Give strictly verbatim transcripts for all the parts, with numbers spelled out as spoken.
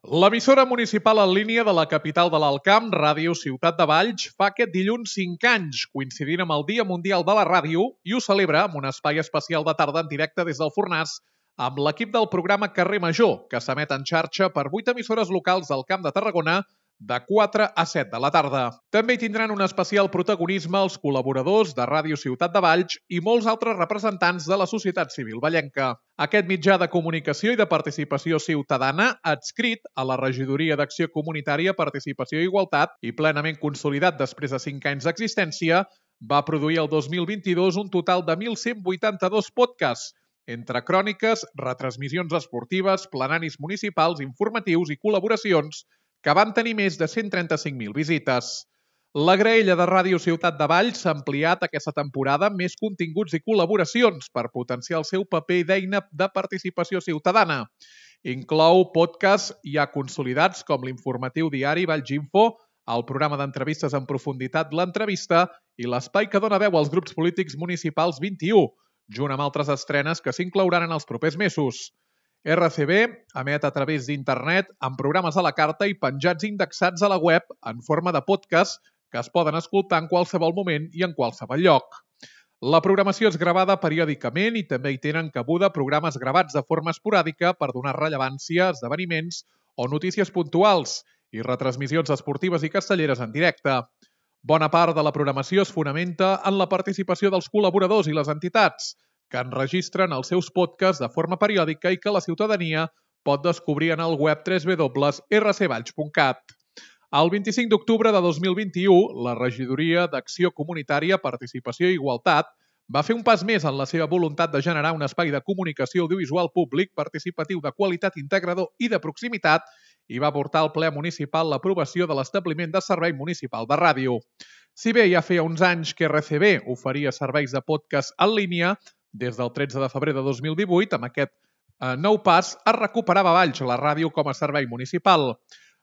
L'emissora municipal en línia de la capital de l'Alt Camp, Ràdio Ciutat de Valls, fa aquest dilluns cinc anys, coincidint amb el Dia Mundial de la Ràdio, i ho celebra amb un espai especial de tarda en directe des del Fornàs, amb l'equip del programa Carrer Major, que s'emet en xarxa per vuit emissores locals del Camp de Tarragona, de quatre a set de la tarda. També hi tindran un especial protagonisme els col·laboradors de Ràdio Ciutat de Valls i molts altres representants de la societat civil vallenca. Aquest mitjà de comunicació i de participació ciutadana, adscrit a la Regidoria d'Acció Comunitària, Participació i Igualtat i plenament consolidat després de cinc anys d'existència, va produir el dos mil vint-i-dos un total de mil cent vuitanta-dos podcasts, entre cròniques, retransmissions esportives, plenaris municipals, informatius i col·laboracions, que van tenir més de cent trenta-cinc mil visites. La graella de Ràdio Ciutat de Valls s'ha ampliat aquesta temporada amb més continguts i col·laboracions per potenciar el seu paper d'eina de participació ciutadana. Inclou podcasts ja consolidats com l'informatiu diari Valls Info, el programa d'entrevistes en profunditat L'Entrevista i l'espai que dona veu als grups polítics municipals vint-i-u, junt amb altres estrenes que s'inclouran en els propers mesos. R C B emet a través d'internet amb programes a la carta i penjats indexats a la web en forma de podcast que es poden escoltar en qualsevol moment i en qualsevol lloc. La programació és gravada periòdicament i també hi tenen cabuda programes gravats de forma esporàdica per donar rellevància a esdeveniments o notícies puntuals i retransmissions esportives i castelleres en directe. Bona part de la programació es fonamenta en la participació dels col·laboradors i les entitats, que enregistren els seus podcasts de forma periòdica i que la ciutadania pot descobrir en el web w w w punt r c valls punt cat. El vint-i-cinc d'octubre de dos mil vint-i-u, la Regidoria d'Acció Comunitària, Participació i Igualtat va fer un pas més en la seva voluntat de generar un espai de comunicació audiovisual públic, participatiu, de qualitat, integrador i de proximitat i va portar al ple municipal l'aprovació de l'establiment de servei municipal de ràdio. Si bé ja feia uns anys que R C B oferia serveis de podcast en línia, des del tretze de febrer de dos mil divuit, amb aquest eh, nou pas, es recuperava a Valls la ràdio com a servei municipal.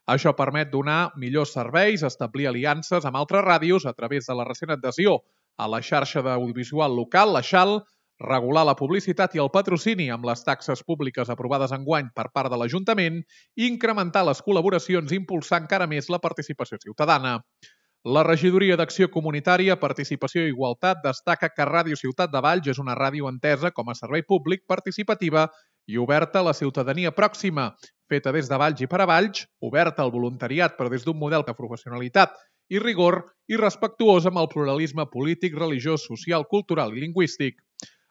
Això permet donar millors serveis, establir aliances amb altres ràdios a través de la recent adhesió a la xarxa d'audiovisual local, la XAL, regular la publicitat i el patrocini amb les taxes públiques aprovades enguany per part de l'Ajuntament i incrementar les col·laboracions i impulsar encara més la participació ciutadana. La Regidoria d'Acció Comunitària, Participació i Igualtat destaca que Ràdio Ciutat de Valls és una ràdio entesa com a servei públic, participativa i oberta a la ciutadania pròxima, feta des de Valls i per a Valls, oberta al voluntariat però des d'un model de professionalitat i rigor i respectuós amb el pluralisme polític, religiós, social, cultural i lingüístic.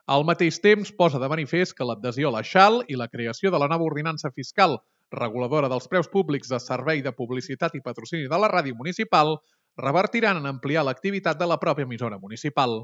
Al mateix temps, posa de manifest que l'adhesió a la XAL i la creació de la nova ordenança fiscal reguladora dels preus públics de servei de publicitat i patrocini de la ràdio municipal revertiran en ampliar l'activitat de la pròpia emissora municipal.